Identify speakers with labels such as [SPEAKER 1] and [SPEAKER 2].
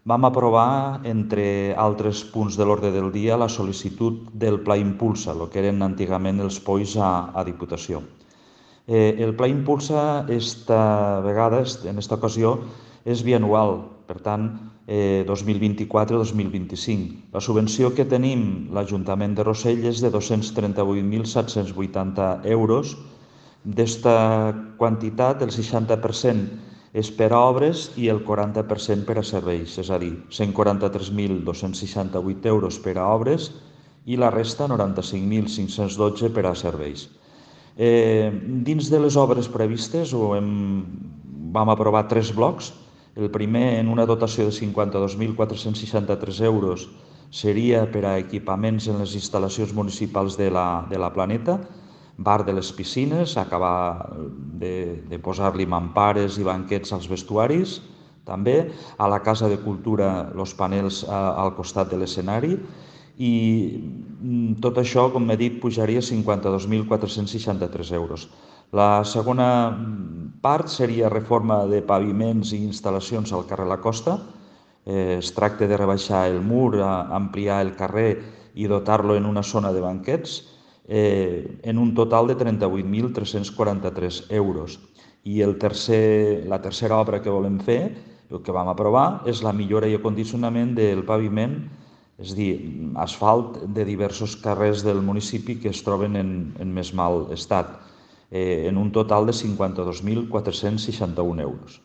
[SPEAKER 1] vam aprovar, entre altres punts de l'ordre del dia, la sol·licitud del Pla Impulsa, el que eren antigament els POIs a Diputació. El Pla Impulsa, esta vegada, en aquesta ocasió, és bianual, per tant, 2024-2025. La subvenció que tenim l'Ajuntament de Rossell és de 238.780 euros. D'esta quantitat, el 60% és per a obres i el 40% per a serveis, és a dir, 143.268 euros per a obres i la resta, 95.512, per a serveis. Dins de les obres previstes vam aprovar 3 blocs. El primer, en una dotació de 52.463 euros, seria per a equipaments en les instal·lacions municipals de la Planeta, bar de les piscines, acabar de posar-li mampares i banquets als vestuaris, també a la Casa de Cultura els panels al costat de l'escenari, i tot això, com he dit, pujaria a 52.463 euros. La segona part seria reforma de paviments i instal·lacions al carrer La Costa. Es tracta de rebaixar el mur, ampliar el carrer i dotar-lo en una zona de banquets, en un total de 38.343 euros. I la tercera obra que volem fer, el que vam aprovar, és la millora i acondicionament del paviment, és a dir, asfalt de diversos carrers del municipi que es troben en més mal estat, en un total de 52.461 euros.